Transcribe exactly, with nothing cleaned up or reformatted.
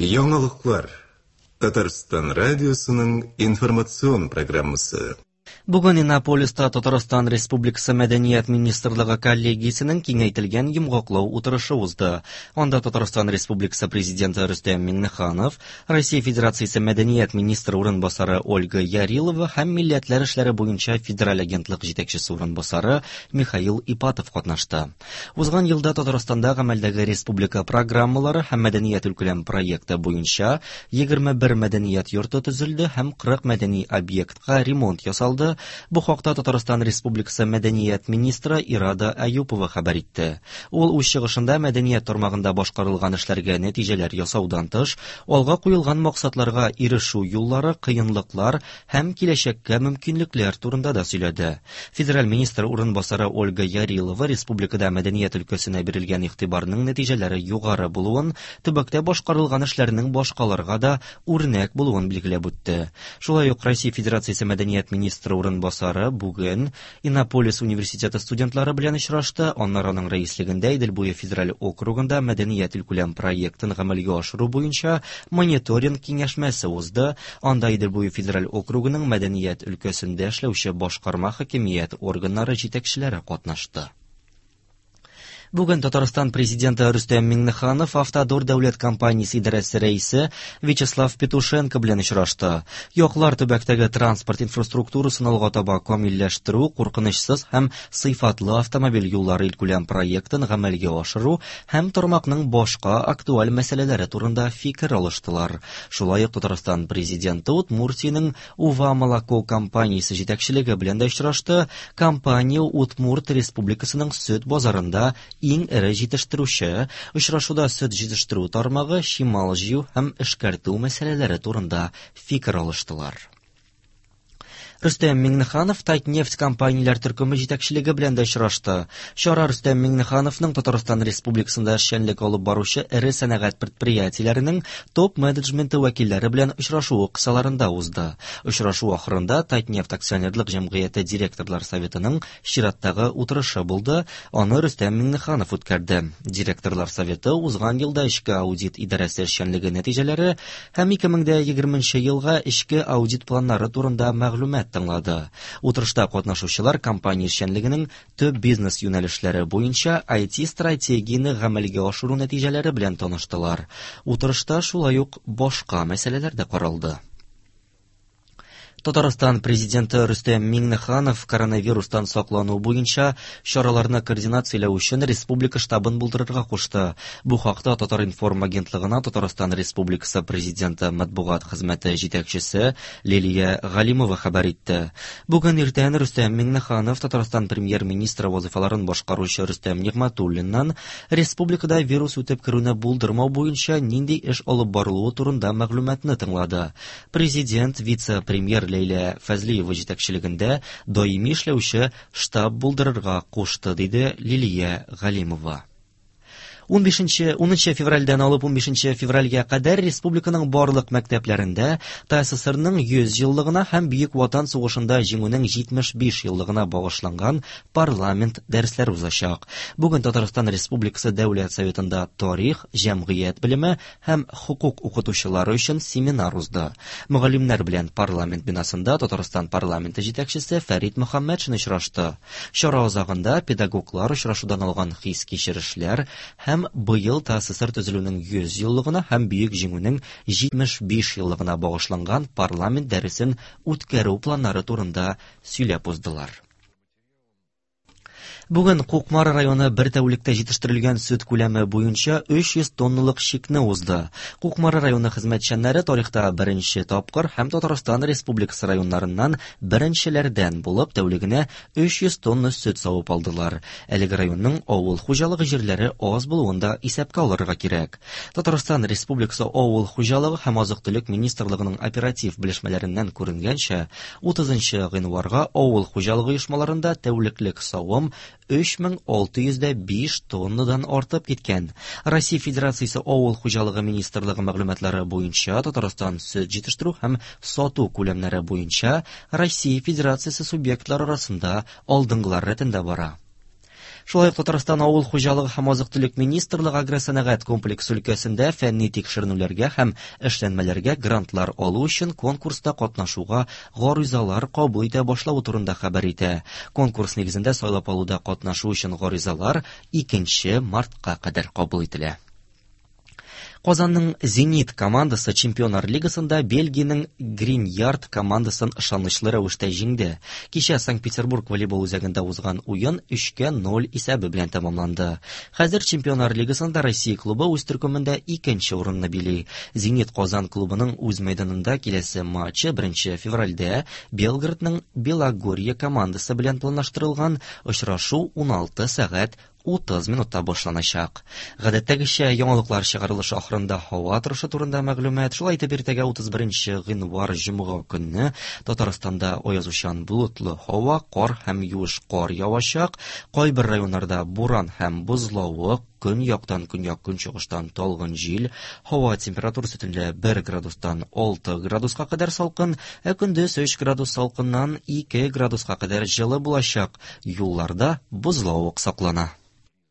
Яңалыклар. Татарстан радиосының информацион программасы. Бүген Иннополиста Татарстан Республикасы Мәдәният министрлыгы коллегиясенең киңәйтелгән йомгаклау утырышы узды. Анда Татарстан Республикасы Президенты Рөстәм Миңнеханов, Россия Федерациясе Мәдәният министры урынбасары Ольга Ярилова һәм Милләтләр эшләре буенча федераль агентлык җитәкчесе урынбасары Михаил Ипатов катнашты. Узган елда Татарстанда гамәлдәге республика программалары һәм мәдәният илкүләм проекты буенча егерме бер мәдәният йорты төзелде һәм кырык мәдәни объектка ремонт ясалды. Бу хакта Татарстан Республикасы Мәдәният министры Ирада Аюпова хәбәр итте. Ул үз чыгышында мәдәният тармагында башкарылган эшләргә нәтиҗәләр ясаудан тыш, алга куелган максатларга ирешү юллары, кыенлыклар һәм киләчәккә мөмкинлекләр турында да сөйләде. Федераль министр урынбасары Ольга Ярилова республикада мәдәният өлкәсенә бирелгән игътибарның нәтиҗәләре югары булуын, төбәктә башкарылган эшләрнең башкаларга да үрнәк булуын билгеләп үтте. Шулай ук Россия Федерациясе Мәдәният министры урынбасары бүген Иннополис университеты студентлары белән очрашты. Аннары аның рәислегендә Идел буе федераль округында мәдәният илкүләм проектын гамәлгә ашыру буенча мониторинг киңәшмәсе узды. Анда Идел буе федераль округының мәдәният өлкәсендә эшләүче башкарма хакимият органнары җитәкчеләре катнашты. Бүген Татарстан президенты Рөстәм Миңнеханов Автодор дәүләт компаниясе идарәсе рәисе Вячеслав Петушенко белән очрашты. Яклар төбәктәге транспорт инфраструктурасын алга таба камилләштерү, куркынычсыз һәм сыйфатлы автомобиль юллары илкүләм проектын гамәлгә ашыру һәм тармакның башка актуаль мәсьәләләре турында фикер алыштылар. Шулай ук Татарстан президенты Удмуртиянең Ува Молоко компаниясе җитәкчелеге белән дә очрашты. Компания Удмурт Республикасының сөт базарында иң эре җитештерүче. Очрашуда сөт җитештерү тармагы, чимал җыю һәм эшкәртү мәсьәләләре турында фикер алыштылар. Рөстәм Миңнеханов Татнефть компанияләр төркеме җитәкчелеге белән дә очрашты. Чара Рөстәм Миңнехановның Татарстан Республикасында эшчәнлек алып баручы эре сәнәгать предприятиеләренең топ-менеджменты вәкилләре белән очрашуы кысаларында узды. Очрашу ахырында Татнефть акционерлык җәмгыяте директорлар советының чираттагы утырышы булды. Аны Рөстәм Миңнеханов үткәрде. Директорлар советы узган елда эчке аудит идарәсе эшчәнлеге нәтиҗәләре һәм ике мең дә егерменче елга эчке аудит планнары турында мәгълүмат тыңлады. Утырышта катнашучылар компания эшчәнлегенең төп бизнес юнәлешләре буенча ай ти-стратегияне гамәлгә ашыру нәтиҗәләре белән таныштылар. Утырышта шулай ук башка мәсьәләләр дә каралды. Татарстан президенты Рөстәм Миңнеханов коронавирустан саклану буенча чараларны координацияләү өчен республика штабын булдырырга кушты. Бу хакта Татар-информ агентлыгына Татарстан Республикасы президенты матбугат хезмәте җитәкчесе Лилия Галимова хәбәр итте. Бүген иртән Рөстәм Миңнеханов Татарстан премьер-министры вазифаларын башкаручы Рөстәм Нигъмәтуллиннан республикада вирус үтеп керүне булдырмау буенча нинди эш алып барылуы турында мәгълүматны тыңлады. Президент вице-премьер Ләйлә Фәзлиева җитәкчелегендә даими эшләүче штаб булдырырга кушты, диде Лилия Галимова. Унбишенче, унынчы февральдән алып унбишенче февральгә кадәр республиканың барлык мәктәпләрендә ТАССРның йөз еллыгына һәм Бөек Ватан сугышында җиңүнең җитмеш биш еллыгына багышланган парламент дәресләре узачак. Бүген Татарстан Республикасы Дәүләт Советында тарих, җәмгыять белеме һәм хукук укытучылары өчен семинар узды. Мөгаллимнәр белән парламент бинасында Татарстан парламенты җитәкчесе Фәрит Мөхәммәтшин очрашты. Чара азагында педагоглар очрашудан алган хис-кичерешләр һәм быел ТАССР төзелүнең йөз еллыгына һәм Бөек Җиңүнең җитмеш биш еллыгына багышланган парламент дәресен үткәрү планнары турында сөйләп уздылар. Бүген Кукмара районы бер тәүлектә җитештерелгән сөт күләме буенча өч йөз тонналык чикне узды. Кукмара районы хезмәтчәннәре тарихта беренче тапкыр һәм Татарстан Республикасы районнарыннан беренчеләрдән булып тәүлегенә өч йөз тонна сөт савып алдылар. Әлеге районның авыл хуҗалыгы җирләре аз булуын да исәпкә алырга кирәк. Татарстан Республикасы Авыл хуҗалыгы һәм азык-төлек министрлыгының оператив белешмәләреннән күренгәнчә, утызынчы гыйнварга авыл хуҗалыгы оешмаларында тәүлеклек савым өч мең алты йөз дә биш тоннадан артып киткән. Россия Федерациясе Авыл хуҗалыгы министрлыгы мәгълүматлары буенча Татарстан сөт җитештерү һәм сату күләмнәре буенча Россия Федерациясе субъектлары арасында алдынгылар рәтендә бара. Шулай ук Татарстан авыл хуҗалыгы һәм азык-төлек министрлыгы агросәнәгать комплексы өлкәсендә фәнни тикшеренүләргә һәм эшләнмәләргә грантлар алу өчен конкурста катнашуга гаризалар кабул итә башлавы турында хәбәр итә. Конкурс нигезендә сайлап алуда катнашу өчен гаризалар икенче мартка кадәр кабул ителә. Казанның «Зенит» командасы Чемпионнар лигасында Бельгиянең «Гриньярд» командасын ышанычлы рәвештә җиңде. Кичә Санкт-Петербург волейбол үзәгендә узган уен өчкә ноль исәбе белән тәмамланды. Хәзер Чемпионнар лигасында Россия клубы үз төркемендә икенче урынны били. «Зенит» Казан клубының үз мәйданында киләсе матчы беренче февральдә Белгородның Белогорье командасы белән планлаштырылган. Очрашу уналты сәгать утыз минутта башланачак. Гадәттәгечә яңалыклар чыгарылышы ахырында һава торышы турында мәгълүмат. Шулай итеп иртәгә утыз беренче гыйнвар җомга көнне Татарстанда аязучан болытлы һава, кар һәм юеш кар явачак. Кайбер районнарда буран һәм бозлавык, көньяктан көньяк-көнчыгыштан талгын җил, һава температурасы төнлә бер градустан алты градуска кадәр салкын, ә көндез өч градус салкыннан ике градуска кадәр җылы булачак. Юлларда бозлавык саклана.